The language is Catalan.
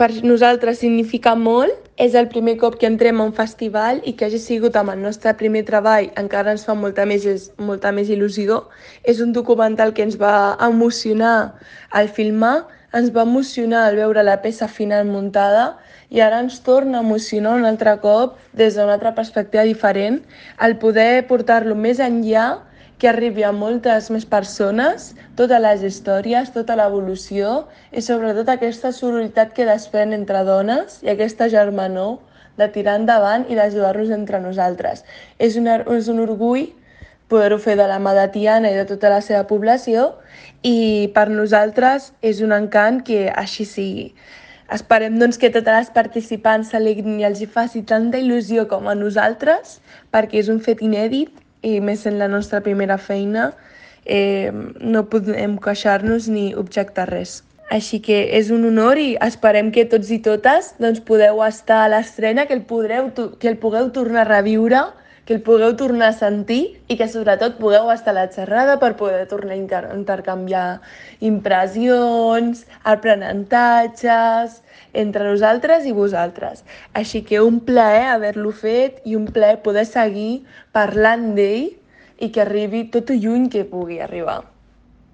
per nosaltres significa molt. És el primer cop que entrem a un festival i que hagi sigut amb el nostre primer treball encara ens fa molta més il·lusió. És un documental que ens va emocionar al filmar, ens va emocionar al veure la peça final muntada i ara ens torna a emocionar un altre cop des d'una altra perspectiva diferent el poder portar-lo més enllà, que arribi a moltes més persones, totes les històries, tota l'evolució i sobretot aquesta sororitat que desprèn entre dones i aquesta germanor de tirar endavant i d'ajudar-nos entre nosaltres. És un orgull poder-ho fer de la mà de Tiana i de tota la seva població i per nosaltres és un encant que així sigui. Esperem doncs, que totes les participants s'alegrin i els hi faci tanta il·lusió com a nosaltres, perquè és un fet inèdit i més en la nostra primera feina no podem queixar-nos ni objectar res. Així que és un honor i esperem que tots i totes doncs, podeu estar a l'estrena, que el pugueu tornar a reviure, que el pugueu tornar a sentir i que sobretot pugueu estar a la xerrada per poder tornar a intercanviar impressions, aprenentatges entre nosaltres i vosaltres. Així que un plaer haver-lo fet i un plaer poder seguir parlant d'ell i que arribi tot lluny que pugui arribar.